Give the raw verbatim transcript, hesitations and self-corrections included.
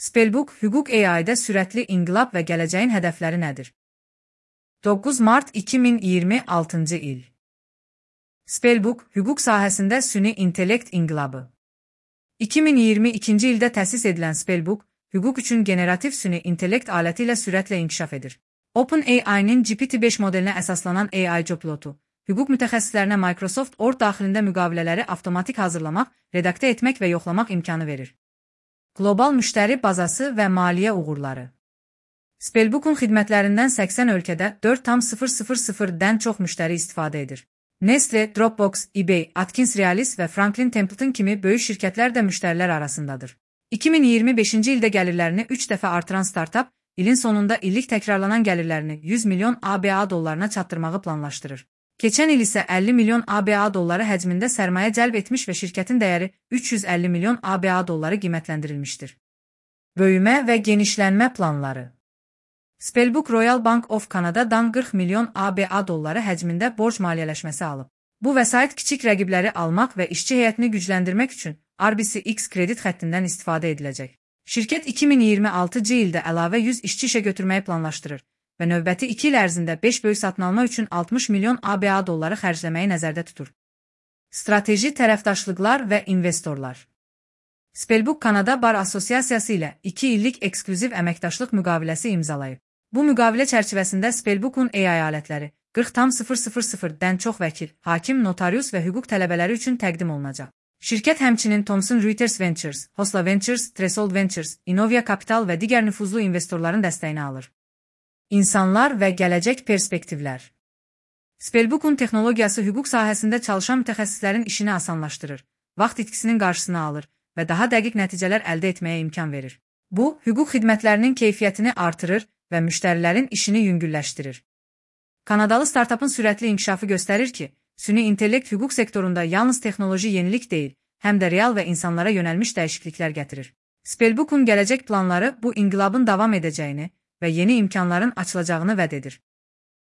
Spellbook, hüquq A I-də sürətli inqilab və gələcəyin hədəfləri nədir? doqquz mart iki min iyirmi altıncı il. Spellbook, hüquq sahəsində süni intellekt inqilabı. iki min iyirmi ikinci ildə təsis edilən Spellbook, hüquq üçün generativ süni intellekt aləti ilə sürətlə inkişaf edir. OpenAI-nin G P T beş modelinə əsaslanan A I copilotu, hüquq mütəxəssislərinə Microsoft Word daxilində müqavilələri avtomatik hazırlamaq, redaktə etmək və yoxlamaq imkanı verir. Qlobal müştəri bazası və maliyyə uğurları. Spellbook'un xidmətlərindən səksən ölkədə dörd tam sıfır sıfır sıfırdən çox müştəri istifadə edir. Nestle, Dropbox, eBay, Atkins Realis və Franklin Templeton kimi böyük şirkətlər də müştərilər arasındadır. iki min iyirmi beşinci ildə gəlirlərini üç dəfə artıran startap, ilin sonunda illik təkrarlanan gəlirlərini yüz milyon A B A dollarına çatdırmağı planlaşdırır. Keçən il isə əlli milyon A B A dolları həcmində sərmayə cəlb etmiş və şirkətin dəyəri üç yüz əlli milyon A B A dolları qiymətləndirilmişdir. Böyümə və genişlənmə planları. Spellbook Royal Bank of Canada'dan qırx milyon A B A dolları həcmində borc maliyyələşməsi alıb. Bu vəsait kiçik rəqibləri almaq və işçi heyətini gücləndirmək üçün R B C X kredit xəttindən istifadə ediləcək. Şirkət iki min iyirmi altıncı ildə əlavə yüz işçi işə götürməyi planlaşdırır və növbəti iki il ərzində beş böyük satın alma üçün altmış milyon A B A dolları xərcləməyi nəzərdə tutur. Strateji tərəfdaşlıqlar və investorlar. Spellbook Kanada Bar Assosiasiyası ilə iki illik eksklüziv əməkdaşlıq müqaviləsi imzalayıb. Bu müqavilə çərçivəsində Spellbook'un A I alətləri qırx tam sıfır sıfır sıfırdən çox vəkil, hakim, notarius və hüquq tələbələri üçün təqdim olunacaq. Şirkət həmçinin Thomson Reuters Ventures, Hosla Ventures, Threshold Ventures, Innovia Capital və digər nüfuzlu investorların dəstəyini alır. İnsanlar və gələcək perspektivlər. Spellbook'un texnologiyası hüquq sahəsində çalışan mütəxəssislərin işini asanlaşdırır, vaxt itkisinin qarşısını alır və daha dəqiq nəticələr əldə etməyə imkan verir. Bu, hüquq xidmətlərinin keyfiyyətini artırır və müştərilərin işini yüngülləşdirir. Kanadalı startapın sürətli inkişafı göstərir ki, süni intellekt hüquq sektorunda yalnız texnoloji yenilik deyil, həm də real və insanlara yönəlmiş dəyişikliklər gətirir. Spellbook'un gələcək planları bu inqilabın davam edəcəyini və yeni imkanların açılacağını vəd edir.